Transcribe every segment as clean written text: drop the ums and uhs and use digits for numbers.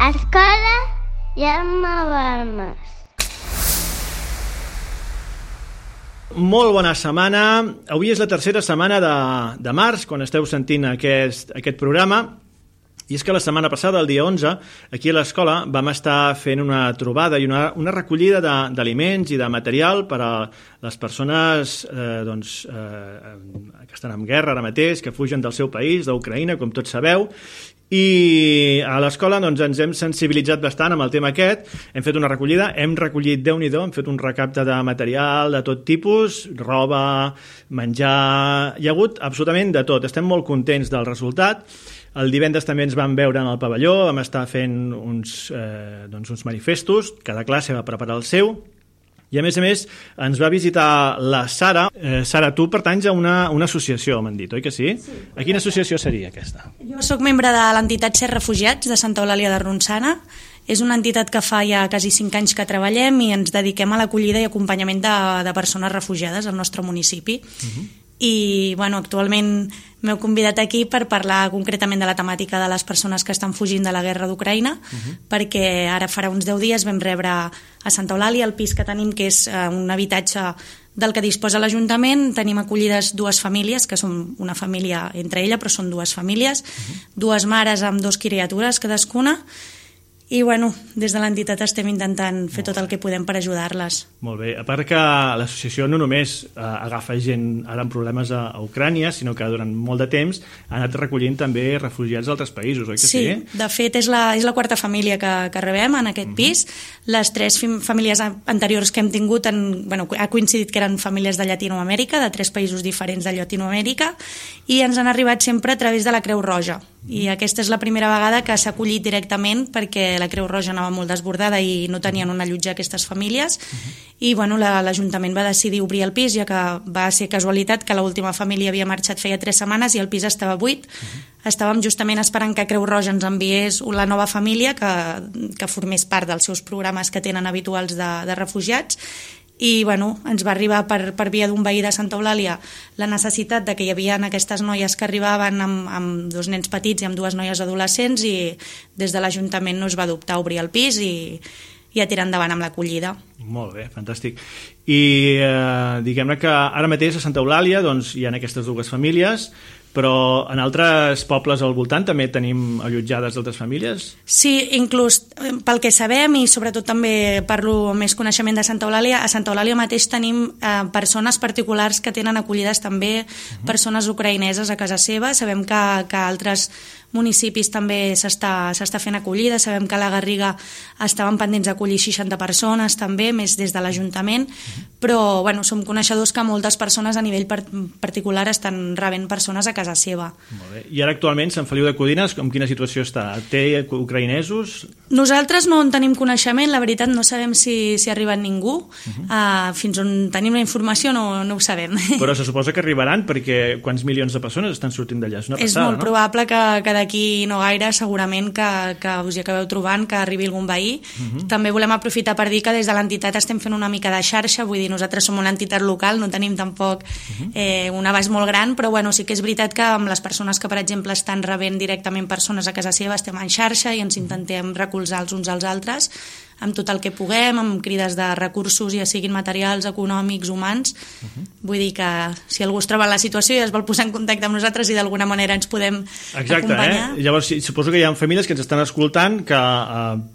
Escola Jaume Balmes. Molt bona setmana. Avui és la tercera setmana de març, quan esteu sentint aquest programa. I és que la setmana passada, el dia 11, aquí a l'escola vam estar fent una trobada i una recollida d'aliments i de material per a les persones que estan en guerra ara mateix, que fugen del seu país, d'Ucraïna, com tots sabeu. I a l'escola ens hem sensibilitzat bastant amb el tema aquest. Hem fet una recollida, hem recollit, Déu-n'hi-do, hem fet un recapte de material de tot tipus, roba, menjar, hi ha hagut absolutament de tot. Estem molt contents del resultat. El divendres també ens vam veure en el pavelló, vam estar fent uns manifestos, cada classe va preparar el seu. I a més ens va visitar la Sara. Sara, tu pertanys a una associació, m'han dit, oi que sí? Sí. A quina associació seria aquesta? Jo sóc membre de l'entitat Ser Refugiats de Santa Eulàlia de Ronçana. És una entitat que fa ja quasi 5 anys que treballem i ens dediquem a l'acollida i acompanyament de persones refugiades al nostre municipi. I actualment m'heu convidat aquí per parlar concretament de la temàtica de les persones que estan fugint de la guerra d'Ucraïna, perquè ara farà uns 10 dies vam rebre a Santa Eulàlia el pis que tenim, que és un habitatge del que disposa l'Ajuntament. Tenim acollides 2 famílies, que són una família entre ella, però són 2 famílies, 2 mares amb 2 criatures cadascuna. I des de l'entitat estem intentant fer tot el que podem per ajudar-les. Molt bé, a part que l'associació no només agafa gent ara amb problemes a Ucrània, sinó que durant molt de temps ha anat recollint també refugiats d'altres països, oi que sí? Sí, de fet és la 4a família que rebem en aquest pis. Les 3 famílies anteriors que hem tingut ha coincidit que eren famílies de Llatinoamèrica, de 3 països diferents de Llatinoamèrica, i ens han arribat sempre a través de la Creu Roja. I aquesta és la primera vegada que s'ha acollit directament, perquè la Creu Roja anava molt desbordada i no tenien on allotjar aquestes famílies. I l'Ajuntament va decidir obrir el pis, ja que va ser casualitat que l'última família havia marxat feia 3 setmanes i el pis estava buit. Estàvem justament esperant que Creu Roja ens enviés la nova família que formés part dels seus programes que tenen habituals de refugiats. I ens va arribar per via d'un veí de Santa Eulàlia la necessitat de que hi havia aquestes noies que arribaven amb 2 nens petits i amb 2 noies adolescents, i des de l'Ajuntament no es va dubtar a obrir el pis i a tirar endavant amb l'acollida. Molt bé, fantàstic. I diguem-ne que ara mateix a Santa Eulàlia hi ha aquestes 2 famílies, però en altres pobles al voltant també tenim allotjades d'altres famílies? Sí, inclús pel que sabem, i sobretot també parlo més coneixement de Santa Eulàlia, a Santa Eulàlia mateix tenim persones particulars que tenen acollides també persones ucraïneses a casa seva. Sabem que altres municipis també s'està fent acollida. Sabem que a la Garriga estaven pendents d'acollir 60 persones també, més des de l'Ajuntament, però som coneixedors que moltes persones a nivell particular estan rebent persones a casa seva. Molt bé. I ara actualment Sant Feliu de Codines, en quina situació està? Té ucraïnesos? Nosaltres no en tenim coneixement, la veritat no sabem si ha arribat ningú. Fins on tenim la informació no ho sabem. Però se suposa que arribaran, perquè quants milions de persones estan sortint d'allà? És una passada, és molt probable que d'aquí no gaire segurament que us hi acabeu trobant, que arribi algun veí. També volem aprofitar per dir que des de l'entitat estem fent una mica de xarxa, vull dir, nosaltres som una entitat local, no tenim tampoc un abast molt gran, però sí que és veritat que amb les persones que, per exemple, estan rebent directament persones a casa seva estem en xarxa i ens intentem recolzar els uns als altres amb tot el que puguem, amb crides de recursos, ja siguin materials, econòmics, humans. Vull dir que si algú es troba en la situació i es vol posar en contacte amb nosaltres i d'alguna manera ens podem acompanyar. Llavors, suposo que hi ha famílies que ens estan escoltant que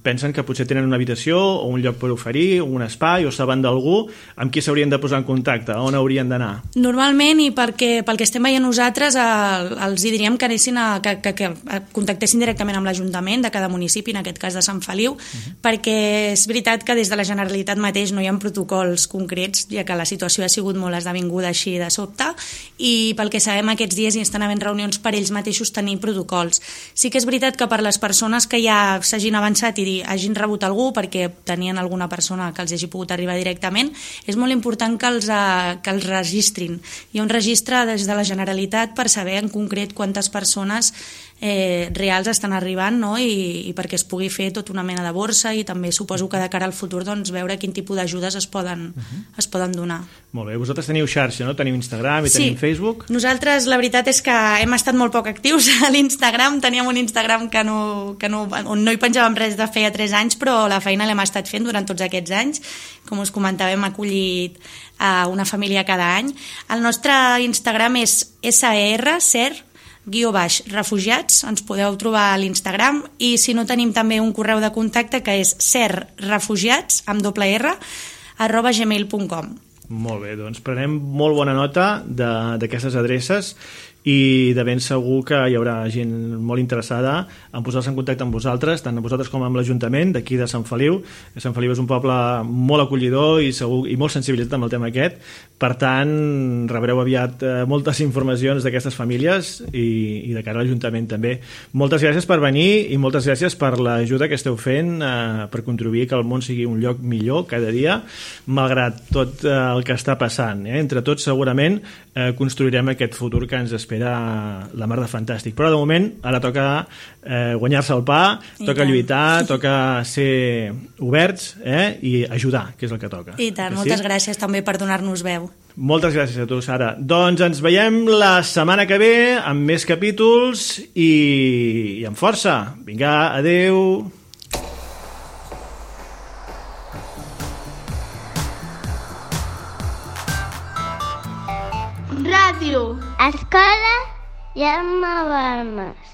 pensen que potser tenen una habitació o un lloc per oferir, un espai, o saben d'algú amb qui s'haurien de posar en contacte, on haurien d'anar? Normalment, i pel que estem veient nosaltres, els diríem que anessin que contactessin directament amb l'Ajuntament de cada municipi, en aquest cas de Sant Feliu, perquè és veritat que des de la Generalitat mateix no hi ha protocols concrets, ja que la situació ha sigut molt esdevinguda així de sobte, i pel que sabem aquests dies hi estan havent reunions per ells mateixos tenir protocols. Sí que és veritat que per les persones que ja s'hagin avançat i hagin rebut algú perquè tenien alguna persona que els hagi pogut arribar directament, és molt important que els registrin. Hi ha un registre des de la Generalitat per saber en concret quantes persones reals estan arribant, no? I perquè es pugui fer tota una mena de borsa i també suposo que de cara al futur doncs, veure quin tipus d'ajudes es poden donar. Molt bé, vosaltres teniu xarxa, no? Teniu Instagram i tenim Facebook? Nosaltres la veritat és que hem estat molt poc actius a l'Instagram, teníem un Instagram on no hi penjàvem res de feia 3 anys, però la feina l'hem estat fent durant tots aquests anys. Com us comentava, hem acollit una família cada any. El nostre Instagram és ser_refugiats, ens podeu trobar a l'Instagram, i si no tenim també un correu de contacte que és serrefugiats, amb @gmail.com. Molt bé, doncs prenem molt bona nota d'aquestes adreces i de ben segur que hi haurà gent molt interessada en posar-se en contacte amb vosaltres, tant a vosaltres com amb l'Ajuntament d'aquí de Sant Feliu. Sant Feliu és un poble molt acollidor i molt sensibilitzat amb el tema aquest, per tant rebreu aviat moltes informacions d'aquestes famílies i de cara a l'Ajuntament també. Moltes gràcies per venir i moltes gràcies per l'ajuda que esteu fent per contribuir que el món sigui un lloc millor cada dia, malgrat tot el que està passant. Entre tots segurament construirem aquest futur que ens espera la mar de fantàstic. Però de moment ara toca guanyar-se el pa, toca lluitar, toca ser oberts i ajudar, que és el que toca. I tant, moltes gràcies també per donar-nos veu. Moltes gràcies a tu, Sara. Doncs ens veiem la setmana que ve amb més capítols i amb força. Vinga, adeu. Ràdio. Escola Jaume Balmes.